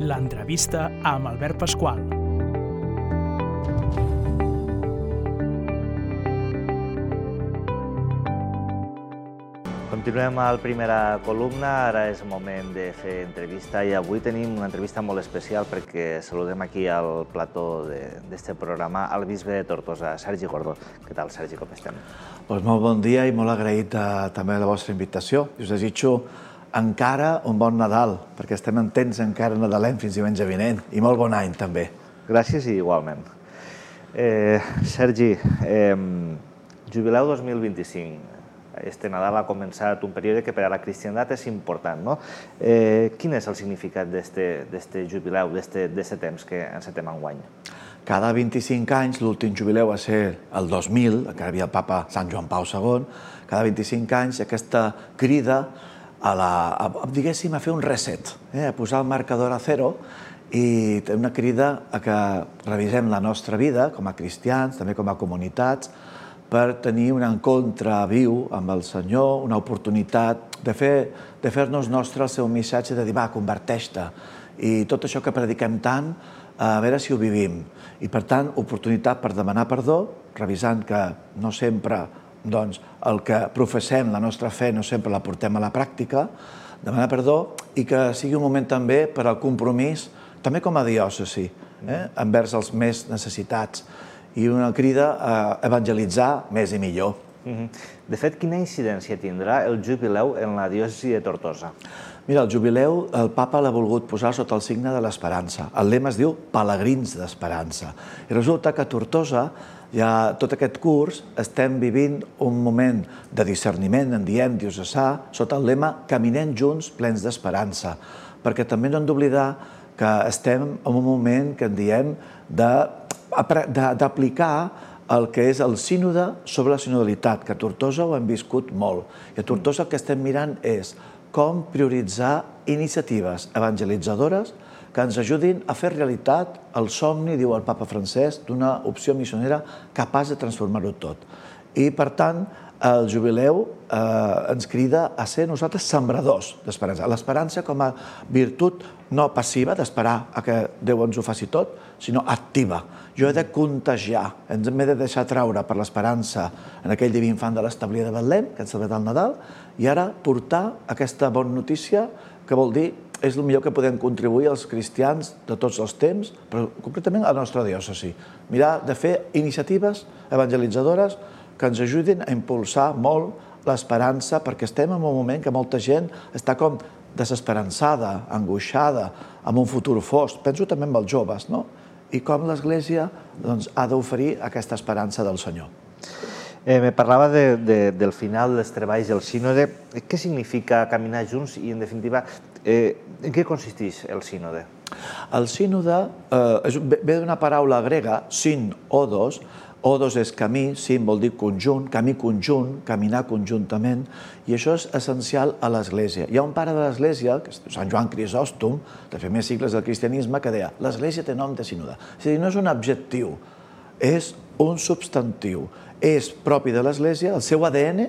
L'entrevista amb Albert Pasqual. Continuem a la primera columna, ara és moment de fer entrevista i avui tenim una entrevista molt especial perquè saludem aquí al plató d'aquest programa al bisbe de Tortosa, Sergi Gordó. Què tal, Sergi, com estem? Doncs molt bon dia i molt agraït també a la vostra invitació. Us desitjo encara un bon Nadal, perquè estem en temps encara nadalenc fins diumenge vinent, i molt bon any també. Gràcies i igualment. Sergi, jubileu 2025. Este Nadal ha començat un període que per a la cristiandat és important, no? Quin és el significat d'aquest jubileu, d'aquest temps que encetem enguany? Cada 25 anys, l'últim jubileu va ser el 2000, encara hi havia el papa Sant Joan Pau II, cada 25 anys aquesta crida diguéssim, a fer un reset, a posar el marcador a zero i una crida a que revisem la nostra vida com a cristians, també com a comunitats, per tenir un encontre viu amb el Senyor, una oportunitat de fer-nos nostre el seu missatge de dir, va, converteix-te. I tot això que prediquem tant, a veure si ho vivim. I, per tant, oportunitat per demanar perdó, revisant que no sempre el que professem, la nostra fe, no sempre la portem a la pràctica, demanar perdó i que sigui un moment també per al compromís, també com a diòcesi, envers els més necessitats. I una crida a evangelitzar més i millor. De fet, quina incidència tindrà el jubileu en la diòcesi de Tortosa? Mira, el jubileu el papa l'ha volgut posar sota el signe de l'esperança. El lema es diu Pelegrins d'Esperança. I resulta que a Tortosa, ja tot aquest curs, estem vivint un moment de discerniment, en diem diocesà, sota el lema Caminem junts plens d'esperança. Perquè també no hem d'oblidar que estem en un moment que en diem d'aplicar el que és el sínode sobre la sinodalitat, que a Tortosa ho hem viscut molt. I a Tortosa el que estem mirant és com prioritzar iniciatives evangelitzadores que ens ajudin a fer realitat el somni, diu el papa Francesc, d'una opció missionera capaç de transformar-ho tot. I, per tant, el jubileu ens crida a ser nosaltres sembradors d'esperança. L'esperança com a virtut no passiva, d'esperar a que Déu ens ho faci tot, sinó activa. Jo he de contagiar, m'he de deixar traure per l'esperança en aquell diví infant de l'establia de Betlem, que ens celebra el Nadal, i ara portar aquesta bona notícia, que vol dir és el millor que podem contribuir als cristians de tots els temps, però concretament a la nostra diòcesi. Mirar de fer iniciatives evangelitzadores que ens ajudin a impulsar molt l'esperança, perquè estem en un moment que molta gent està com desesperançada, angoixada, amb un futur fosc. Penso també en els joves, no? I com l'Església ha d'oferir aquesta esperança del Senyor. Me parlava del final dels treballs del sínode. Què significa caminar junts i, en definitiva, en què consisteix el sínode? El sínode ve d'una paraula grega, syn, odos. Odos és camí, syn vol dir conjunt, camí conjunt, caminar conjuntament, i això és essencial a l'Església. Hi ha un pare de l'Església, que és Sant Joan Crisòstom, de primers segles del cristianisme, que deia l'Església té nom de sínode. És a dir, no és un adjectiu, és un substantiu. És propi de l'Església, el seu ADN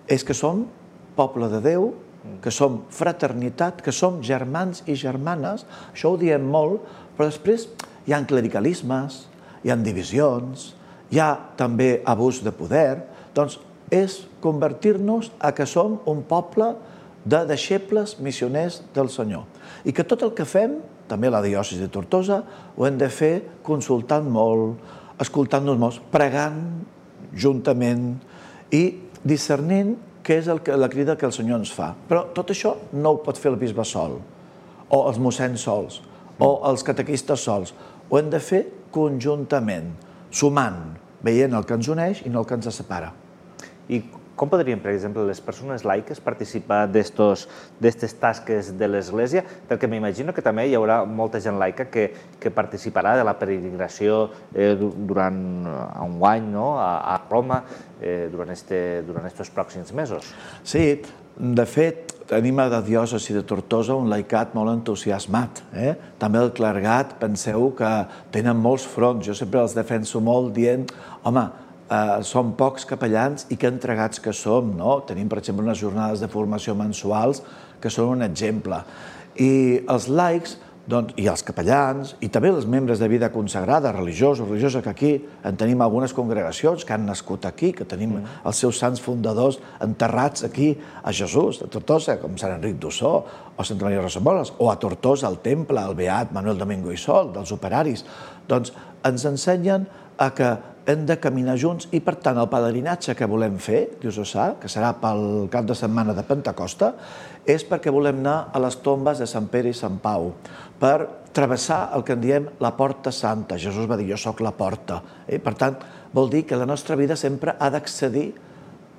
és que som poble de Déu, que som fraternitat, que som germans i germanes. Això ho diem molt, però després hi ha clericalismes, hi ha divisions, hi ha també abús de poder. Doncs és convertir-nos a que som un poble de deixebles missioners del Senyor. I que tot el que fem, també a la diòcesi de Tortosa, ho hem de fer consultant molt, escoltant-nos molt, pregant juntament i discernint què és la crida que el Senyor ens fa. Però tot això no ho pot fer el bisbe sol, o els mossens sols, o els catequistes sols. Ho hem de fer conjuntament, sumant, veient el que ens uneix i no el que ens separa. I com podrien, per exemple, les persones laiques participar d'aquestes tasques de l'Església? Perquè m'imagino que també hi haurà molta gent laica que participarà de la peregrinació durant enguany a Roma durant aquests pròxims mesos. Sí, de fet, tenim a la diòcesi de Tortosa un laicat molt entusiasmat. També el clergat, penseu que tenen molts fronts. Jo sempre els defenso molt dient, home, som pocs capellans i que entregats que som, no? Tenim, per exemple, unes jornades de formació mensuals que són un exemple. I els laics i els capellans, i també els membres de vida consagrada, religiosos, religioses, que aquí en tenim algunes congregacions que han nascut aquí, que tenim els seus sants fundadors enterrats aquí a Jesús, a Tortosa, com Sant Enric d'Ossó, o Santa Maria Rosamoles, o a Tortosa, al temple, el beat Manuel Domingo i Sol, dels operaris. Doncs ens ensenyen que hem de caminar junts i, per tant, el pelegrinatge que volem fer, diocesà, que serà pel cap de setmana de Pentecosta, és perquè volem anar a les tombes de Sant Pere i Sant Pau, per travessar el que en diem la Porta Santa. Jesús va dir, jo sóc la porta. Per tant, vol dir que la nostra vida sempre ha d'accedir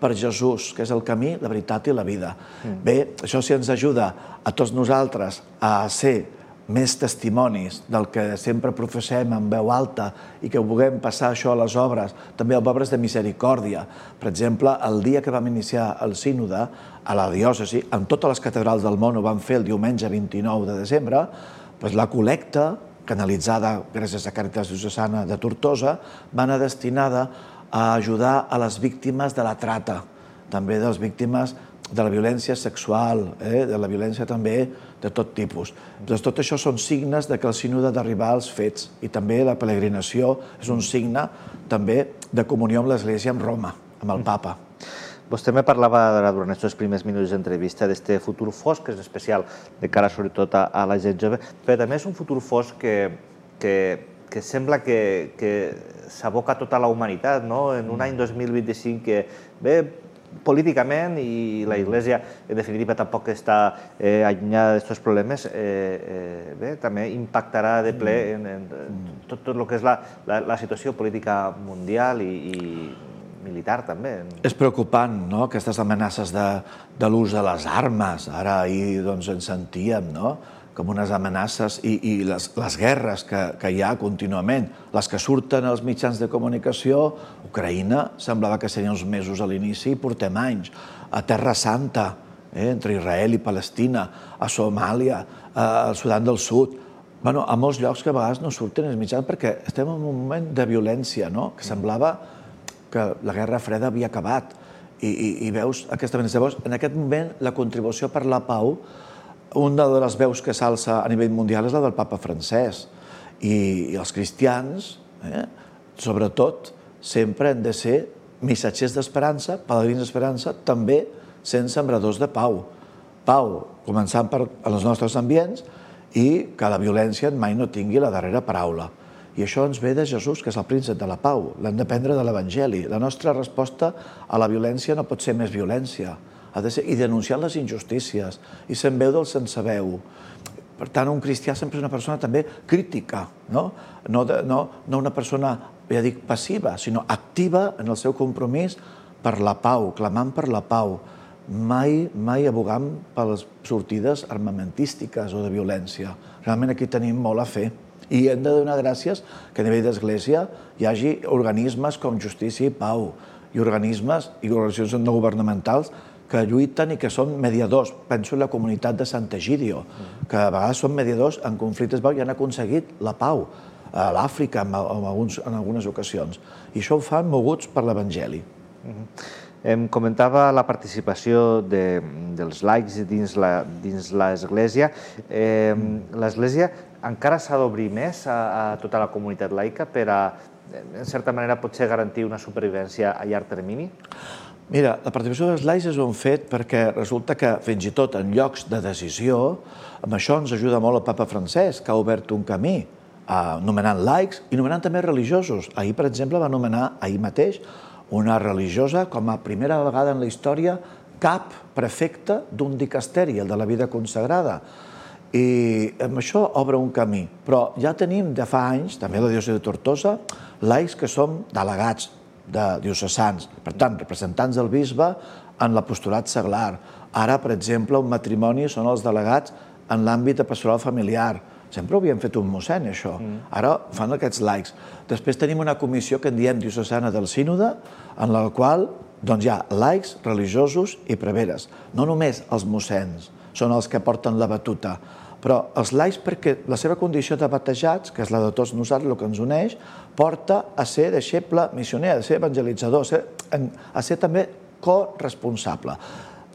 per Jesús, que és el camí, la veritat i la vida. Bé, això sí ens ajuda a tots nosaltres a ser més testimonis del que sempre professem en veu alta i que vulguem passar això a les obres, també a obres de misericòrdia. Per exemple, el dia que vam iniciar el sínode a la diòcesi, en totes les catedrals del món ho vam fer el diumenge 29 de desembre, la col·lecta, canalitzada gràcies a Càritas Diocesana de Tortosa, va anar destinada a ajudar a les víctimes de la trata, també de les víctimes de la violència sexual, de la violència també de tot tipus. Doncs tot això són signes que el sínode ha d'arribar als fets i també la peregrinació és un signe també de comunió amb l'Església, amb Roma, amb el Papa. Vostè me parlava durant aquests primers minuts d'entrevista d'aquest futur fosc, que és especial de cara sobretot a la gent jove, però també és un futur fosc que sembla que s'aboca tota la humanitat, en un any 2025 que ve políticament i la Iglesia, en definitiva, tampoc està allunyada d'aquests problemes, bé, també impactarà de ple en tot el que és la situació política mundial i militar, també. És preocupant, no?, aquestes amenaces de l'ús de les armes. Ara ahir ens sentíem, no?, com unes amenaces i les guerres que hi ha contínuament. Les que surten als mitjans de comunicació, Ucraïna semblava que serien uns mesos a l'inici i portem anys. A Terra Santa, entre Israel i Palestina, a Somàlia, al Sudan del Sud, a molts llocs que a vegades no surten els mitjans perquè estem en un moment de violència, que semblava que la Guerra Freda havia acabat. I veus aquesta violència. Llavors, en aquest moment, la contribució per la pau, una de les veus que s'alça a nivell mundial és la del papa Francesc. I els cristians, sobretot, sempre han de ser missatgers d'esperança, pelegrins d'esperança, també sent sembradors de pau. Pau, començant per els nostres ambients, i que la violència mai no tingui la darrera paraula. I això ens ve de Jesús, que és el príncep de la pau. L'hem d'aprendre de l'Evangeli. La nostra resposta a la violència no pot ser més violència. Ha de ser i denunciar les injustícies, i sent veu del sense veu. Per tant, un cristià sempre és una persona també crítica, no una persona, ja dic, passiva, sinó activa en el seu compromís per la pau, clamant per la pau, mai abogant per les sortides armamentístiques o de violència. Realment aquí tenim molt a fer. I hem de donar gràcies que a nivell d'Església hi hagi organismes com Justícia i Pau, i organismes i organitzacions no governamentals que lluiten i que són mediadors. Penso en la comunitat de Sant Egidio, que a vegades són mediadors en conflictes i han aconseguit la pau a l'Àfrica en algunes ocasions. I això ho fan moguts per l'Evangeli. Em comentava la participació dels laics dins l'Església. L'Església encara s'ha d'obrir més a tota la comunitat laica per a, en certa manera, potser garantir una supervivència a llarg termini? Mira, la participació dels laics és un fet perquè resulta que fins i tot en llocs de decisió, amb això ens ajuda molt el papa Francesc, que ha obert un camí nomenant laics i nomenant també religiosos. Ahir, per exemple, va nomenar, ahir mateix, una religiosa com a primera vegada en la història cap prefecte d'un dicasteri, el de la vida consagrada. I amb això obre un camí. Però ja tenim de fa anys, també a la diòcesi de Tortosa, laics que som delegats de diocesans, per tant, representants del bisbe en l'apostolat seglar. Ara, per exemple, un matrimoni són els delegats en l'àmbit de pastoral familiar. Sempre ho havien fet un mossèn, això. Ara fan aquests laics. Després tenim una comissió que en diem diocesana del sínode, en la qual hi ha laics, religiosos i preveres. No només els mossèns són els que porten la batuta, però els laics, perquè la seva condició de batejats, que és la de tots nosaltres, el que ens uneix, porta a ser deixeble missioner, a ser evangelitzador, a ser també corresponsable.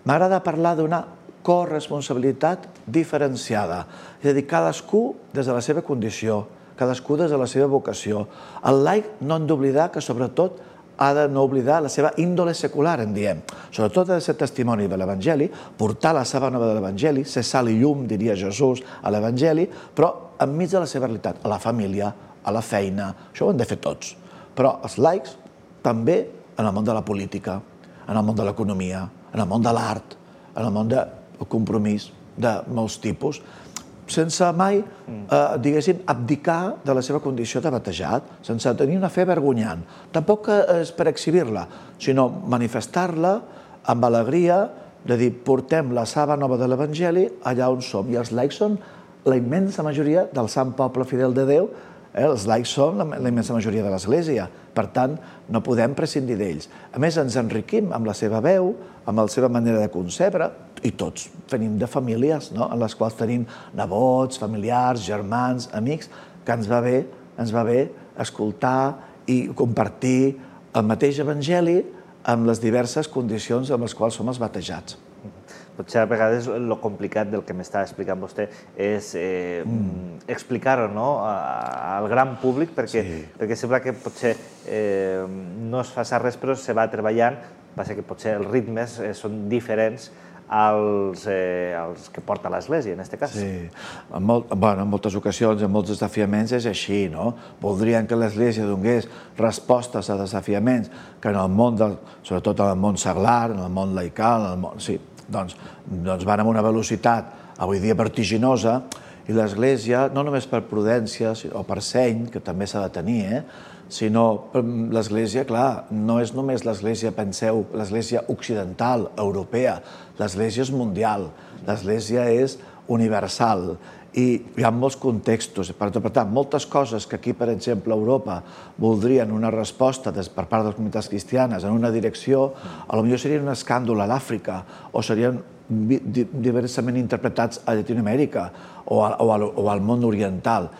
M'agrada parlar d'una corresponsabilitat diferenciada. És a dir, cadascú des de la seva condició, cadascú des de la seva vocació. El laic no hem d'oblidar que, sobretot, ha de no oblidar la seva índole secular, en diem. Sobretot ha de ser testimoni de l'Evangeli, portar la saba nova de l'Evangeli, ser sal i llum, diria Jesús, a l'Evangeli, però enmig de la seva realitat, a la família, a la feina. Això ho hem de fer tots. Però els laics també en el món de la política, en el món de l'economia, en el món de l'art, en el món del compromís de molts tipus, sense mai, diguéssim, abdicar de la seva condició de batejat, sense tenir una fe vergonyant. Tampoc és per exhibir-la, sinó manifestar-la amb alegria, de dir, portem la saba nova de l'Evangeli allà on som. I els laics són la immensa majoria del sant poble fidel de Déu. Els laics són la immensa majoria de l'Església. Per tant, no podem prescindir d'ells. A més, ens enriquim amb la seva veu, amb la seva manera de concebre, i tots venim de famílies en les quals tenim nebots, familiars, germans, amics, que ens va bé escoltar i compartir el mateix Evangeli amb les diverses condicions amb les quals som els batejats. Potser a vegades el complicat del que m'està explicant vostè és explicar-ho al gran públic, perquè sembla que potser no es fa res, però se va treballant, passa que potser els ritmes són diferents als que porta l'Església, en aquest cas. Sí, en moltes ocasions, en molts desafiaments és així, no? Voldrien que l'Església donés respostes a desafiaments que en el món, sobretot en el món seglar, en el món laical, doncs van amb una velocitat avui dia vertiginosa, i l'Església, no només per prudència o per seny, que també s'ha de tenir, sinó l'Església, clar, no és només l'Església, penseu, l'Església occidental, europea, l'Església és mundial, l'Església és universal, i hi ha molts contextos. Per tant, moltes coses que aquí, per exemple, a Europa voldrien una resposta per part de les comunitats cristianes en una direcció, potser serien un escàndol a l'Àfrica o serien diversament interpretats a Llatinoamèrica o al món oriental.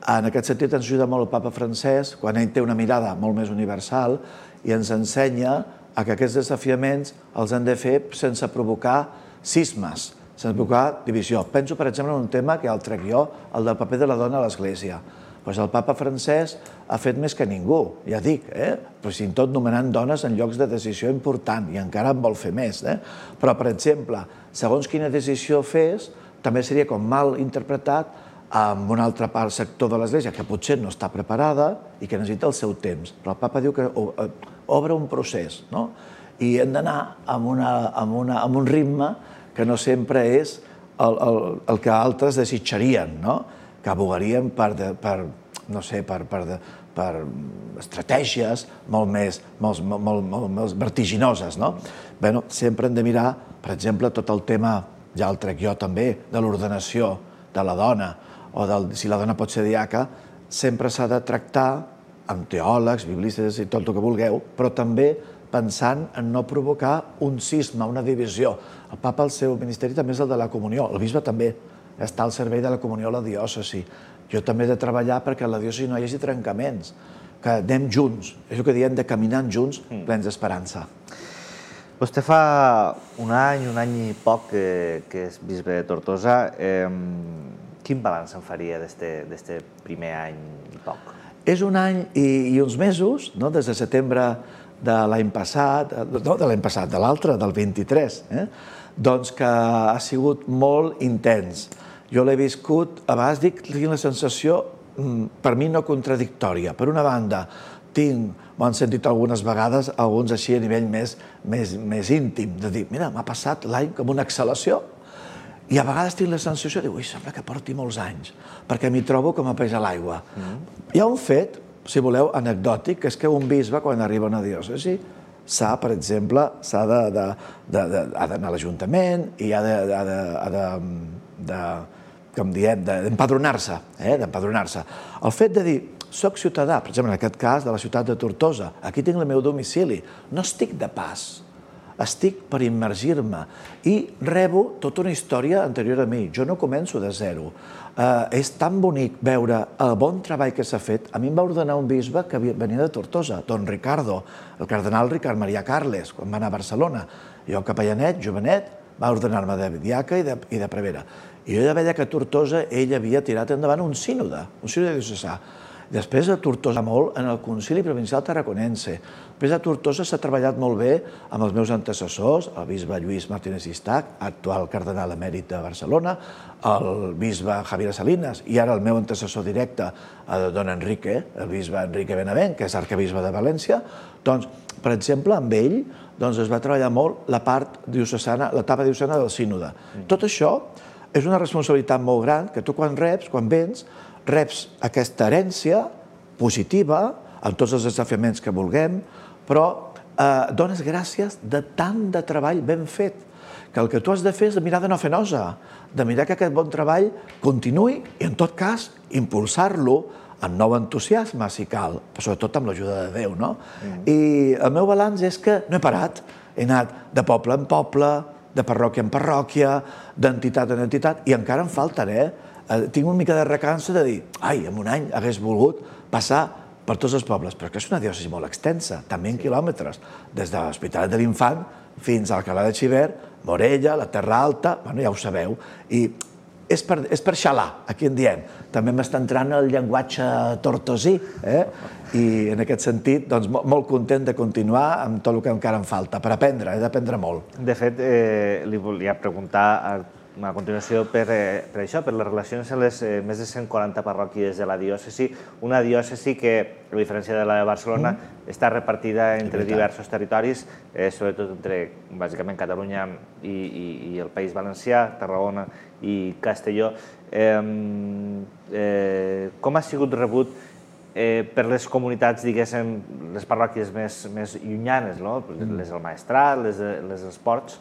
En aquest sentit ens ajuda molt el papa Francesc quan ell té una mirada molt més universal i ens ensenya que aquests desafiaments els hem de fer sense provocar cismes, sense provocar divisió. Penso, per exemple, en un tema que ja el trec jo, el del paper de la dona a l'Església. El papa Francesc ha fet més que ningú, ja dic, fins i tot nomenant dones en llocs de decisió important, i encara en vol fer més. Però, per exemple, segons quina decisió fes, també seria com mal interpretat amb un altre sector de l'Església que potser no està preparada i que necessita el seu temps. Però el papa diu que obre un procés, i hem d'anar amb un ritme que no sempre és el que altres desitjarien, que abogarien per estratègies molt més vertiginoses. Sempre hem de mirar, per exemple, tot el tema, ja el trec jo també, de l'ordenació de la dona, o si la dona pot ser diaca, sempre s'ha de tractar amb teòlegs, biblistes i tot el que vulgueu, però també pensant en no provocar un cisma, una divisió. El papa, el seu ministeri també és el de la comunió, el bisbe també està al servei de la comunió a la diòcesi. Jo també he de treballar perquè a la diòcesi no hi hagi trencaments, que anem junts, és el que diem de caminant junts, plens d'esperança. Vostè fa un any i poc que és bisbe de Tortosa. Quin balanç en faria d'aquest primer any i poc? És un any i uns mesos, des de setembre de l'any passat, no de l'any passat, de l'altre, del 23, doncs que ha sigut molt intens. Jo l'he viscut, a vegades tinc la sensació, per mi no contradictòria. Per una banda, m'ho han sentit algunes vegades, alguns així a nivell més íntim, de dir, mira, m'ha passat l'any com una exhalació, i a vegades tinc la sensació de dir, sembla que porti molts anys, perquè m'hi trobo com a peix a l'aigua. Hi ha un fet, si voleu, anecdòtic, que és que un bisbe, quan arriba a una diòcesi, per exemple, ha d'anar a l'Ajuntament i ha d'empadronar-se. El fet de dir, soc ciutadà, per exemple, en aquest cas, de la ciutat de Tortosa, aquí tinc el meu domicili, no estic de pas, estic per immergir-me i rebo tota una història anterior a mi. Jo no començo de zero. És tan bonic veure el bon treball que s'ha fet. A mi em va ordenar un bisbe que venia de Tortosa, don Ricardo, el cardenal Ricard Maria Carles, quan va anar a Barcelona. Jo, capellanet, jovenet, va ordenar-me de diaca i de prevere. I jo ja veia que a Tortosa ell havia tirat endavant un sínode diocesà. Després a Tortosa molt en el Concili Provincial Tarraconense. Després a Tortosa s'ha treballat molt bé amb els meus antecessors, el bisbe Lluís Martínez Istach, actual cardenal emèrit de Barcelona, el bisbe Javier Salinas i ara el meu antecessor directe, don Enrique, el bisbe Enrique Benavent, que és arquebisbe de València. Doncs, per exemple, amb ell es va treballar molt la part diocesana, l'etapa diocesana del sínode. Tot això és una responsabilitat molt gran que tu quan vens, reps aquesta herència positiva, amb tots els desafiaments que vulguem, però dones gràcies de tant de treball ben fet, que el que tu has de fer és de mirar de no fer nosa, de mirar que aquest bon treball continuï i, en tot cas, impulsar-lo amb nou entusiasme, si cal, sobretot amb l'ajuda de Déu, no? I el meu balanç és que no he parat, he anat de poble en poble, de parròquia en parròquia, d'entitat en entitat, i encara em faltaré. Tinc una mica de recança de dir, en un any hagués volgut passar per tots els pobles, però que és una diòcesi molt extensa, també en quilòmetres, des de l'Hospitalet de l'Infant fins a Alcalà de Xivert, Morella, la Terra Alta, ja ho sabeu, i és per xalar, aquí en diem. També m'està entrant el llenguatge tortosí, i en aquest sentit, molt content de continuar amb tot el que encara em falta, per aprendre, he d'aprendre molt. De fet, li volia preguntar a continuació per això, per les relacions amb les més de 140 parròquies de la diòcesi, una diòcesi que, a diferència de la de Barcelona, està repartida entre diversos territoris, sobretot entre, bàsicament, Catalunya i el País Valencià, Tarragona i Castelló. Com ha sigut rebut per les comunitats, diguéssim, les parròquies més llunyanes, les del Maestrat, les dels Ports?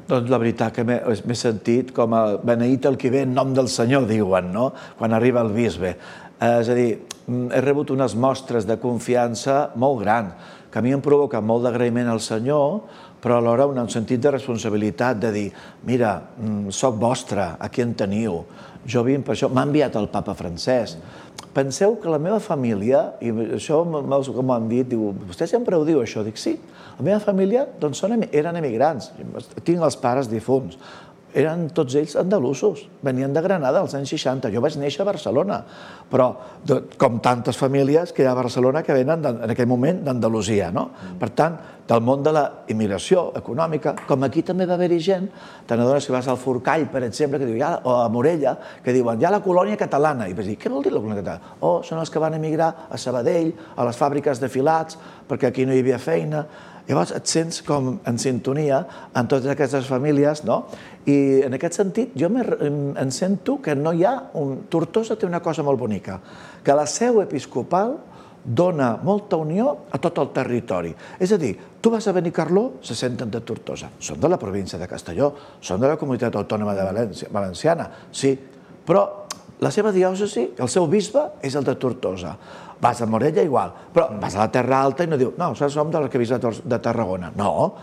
Doncs la veritat que m'he sentit com a beneït el qui ve en nom del Senyor, diuen, no? Quan arriba el bisbe. És a dir, he rebut unes mostres de confiança molt grans, que a mi em provoca molt d'agraïment al Senyor, però alhora un sentit de responsabilitat, de dir, mira, soc vostre, aquí en teniu, jo vinc per això, m'ha enviat el papa Francesc. Penseu que la meva família, i això com m'han dit, diu, vostè sempre ho diu això, dic, sí, la meva família eren emigrants, tinc els pares difunts, eren tots ells andalusos, venien de Granada als anys 60, jo vaig néixer a Barcelona, però com tantes famílies que hi ha a Barcelona que venen en aquell moment d'Andalusia, no? Per tant, del món de la immigració econòmica, com aquí també va haver-hi gent, te n'adones que vas al Forcall, per exemple, o a Morella, que diuen, hi ha la colònia catalana, i vas dir, què vol dir la colònia catalana? Oh, són els que van emigrar a Sabadell, a les fàbriques de filats, perquè aquí no hi havia feina. Llavors et sents com en sintonia amb totes aquestes famílies, no? I en aquest sentit jo em sento que no hi ha... Tortosa té una cosa molt bonica, que la seu episcopal dona molta unió a tot el territori. És a dir, tu vas a Benicarló, se senten de Tortosa. Són de la província de Castelló, són de la comunitat autònoma de Valenciana, sí, però la seva diòcesi, el seu bisbe, és el de Tortosa. Vas a Morella igual, però vas a la Terra Alta i no diu, no, som de l'arquebisbe de Tarragona. No,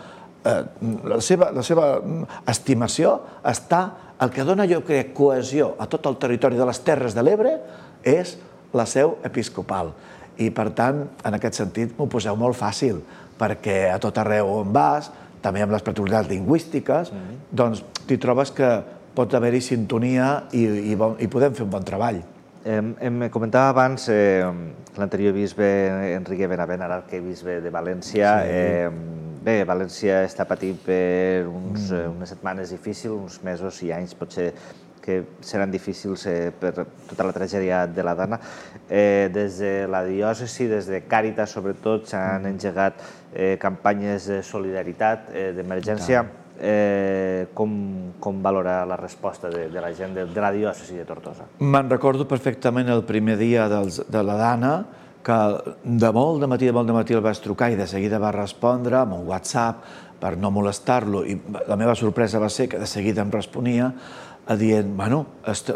la seva estimació està, el que dona, jo crec, cohesió a tot el territori de les Terres de l'Ebre és la seu episcopal. I, per tant, en aquest sentit, m'ho poseu molt fàcil, perquè a tot arreu on vas, també amb les peculiaritats lingüístiques, doncs t'hi trobes que pot haver-hi sintonia i podem fer un bon treball. Em comentava abans l'anterior bisbe Enrique Benavent, ara arquebisbe de València. Bé, València està patint per unes setmanes difícils, uns mesos i anys potser que seran difícils per tota la tragèdia de la dona. Des de la diòcesi, des de Càritas sobretot, s'han engegat campanyes de solidaritat, d'emergència. Com valora la resposta de la gent de la diòcesi de Tortosa? Me'n recordo perfectament el primer dia de la Dana, que de molt de matí el vaig trucar i de seguida va respondre amb un WhatsApp per no molestar-lo, i la meva sorpresa va ser que de seguida em responia dient, bueno,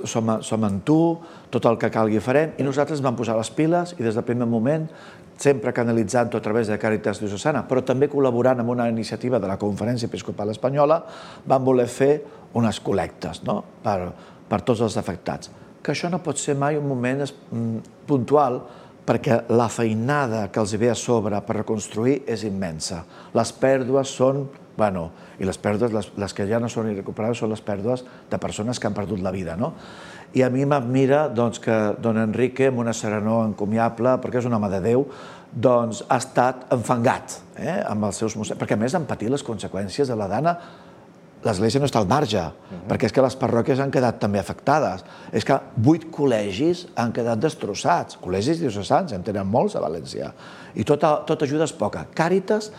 som amb tu, tot el que calgui farem, i nosaltres vam posar les piles i des del primer moment, sempre canalitzant-ho a través de Càritas Diocesana, però també col·laborant amb una iniciativa de la Conferència Episcopal Espanyola, vam voler fer unes col·lectes per tots els afectats. Que això no pot ser mai un moment puntual, perquè la feinada que els ve a sobre per reconstruir és immensa. Les pèrdues són bueno, i les pèrdues, les que ja no són irrecuperables, són les pèrdues de persones que han perdut la vida, no? I a mi m'admira que don Enrique, amb una serenor encomiable, perquè és un home de Déu, doncs ha estat enfangat amb els seus mossecs, perquè a més han patit les conseqüències de la dana. L'Església no està al marge, perquè és que les parròquies han quedat també afectades. És que 8 col·legis han quedat destrossats, col·legis diocesans, en tenen molts a València, i tota ajuda és poca. Càritas,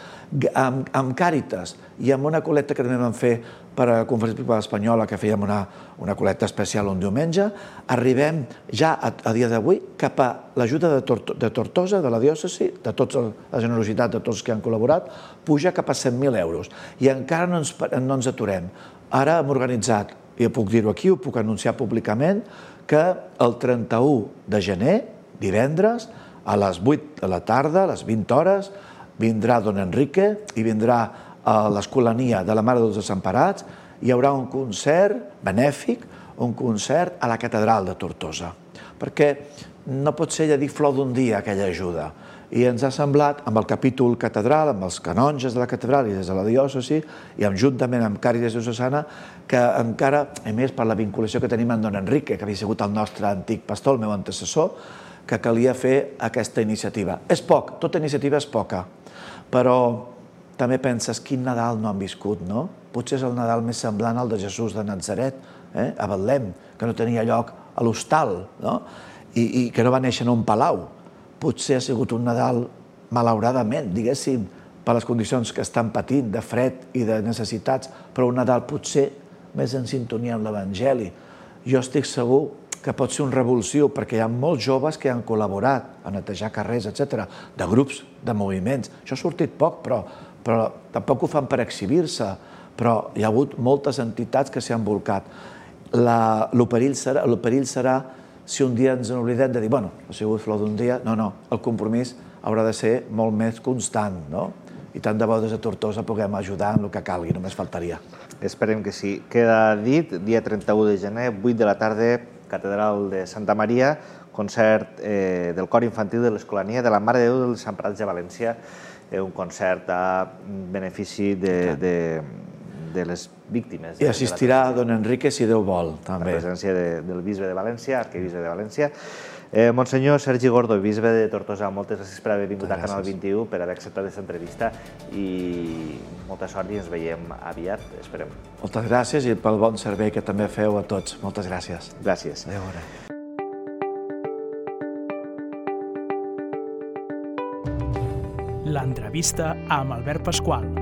amb Càritas i amb una col·lecta que també vam fer per a la Conferència Episcopal Espanyola, que fèiem una col·lecta especial un diumenge, arribem ja a dia d'avui cap a l'ajuda de Tortosa, de la diòcesi, de tota la generositat de tots que han col·laborat, puja cap a 100.000 euros. I encara no ens aturem. Ara hem organitzat, i puc dir-ho aquí, ho puc anunciar públicament, que el 31 de gener, divendres, a les 8 de la tarda, a les 20 hores, vindrà don Enrique i vindrà a l'Escolania de la Mare dels Desemparats. Hi haurà un concert benèfic, un concert a la Catedral de Tortosa, perquè no pot ser, ja dic, flor d'un dia aquella ajuda. I ens ha semblat, amb el capítol catedral, amb els canonges de la catedral i des de la diòcesi, i juntament amb Càritas Diocesana, que encara, a més per la vinculació que tenim amb don Enrique, que havia sigut el nostre antic pastor, el meu antecessor, que calia fer aquesta iniciativa. És poc, tota iniciativa és poca, però també penses quin Nadal no han viscut, no? Potser és el Nadal més semblant al de Jesús de Natzaret, a Betlem, que no tenia lloc a l'hostal, no? I que no va néixer en un palau. Potser ha sigut un Nadal, malauradament, diguéssim, per les condicions que estan patint, de fred i de necessitats, però un Nadal potser més en sintonia amb l'Evangeli. Jo estic segur que pot ser un revulsiu, perquè hi ha molts joves que han col·laborat a netejar carrers, etc., de grups, de moviments. Això ha sortit poc, però tampoc ho fan per exhibir-se, però hi ha hagut moltes entitats que s'hi han volcat. El perill serà si un dia ens n'oblidem de dir, bueno, ha sigut flor d'un dia. No, el compromís haurà de ser molt més constant, no? I tant de bo des de Tortosa puguem ajudar en el que calgui, només faltaria. Esperem que sí. Queda dit, dia 31 de gener, 8 de la tarda, Catedral de Santa Maria, concert del cor infantil de l'Escolania de la Mare de Déu dels Desemparats de València, un concert a benefici de les víctimes. I assistirà don Enrique, si Déu vol, també. La presència del bisbe de València, arquebisbe de València. Monsenyor Sergi Gordo, bisbe de Tortosa, moltes gràcies per haver vingut a Canal 21, per haver acceptat aquesta entrevista i molta sort i ens veiem aviat, esperem. Moltes gràcies i pel bon servei que també feu a tots. Moltes gràcies. Gràcies. Adéu. L'entrevista amb Albert Pasqual.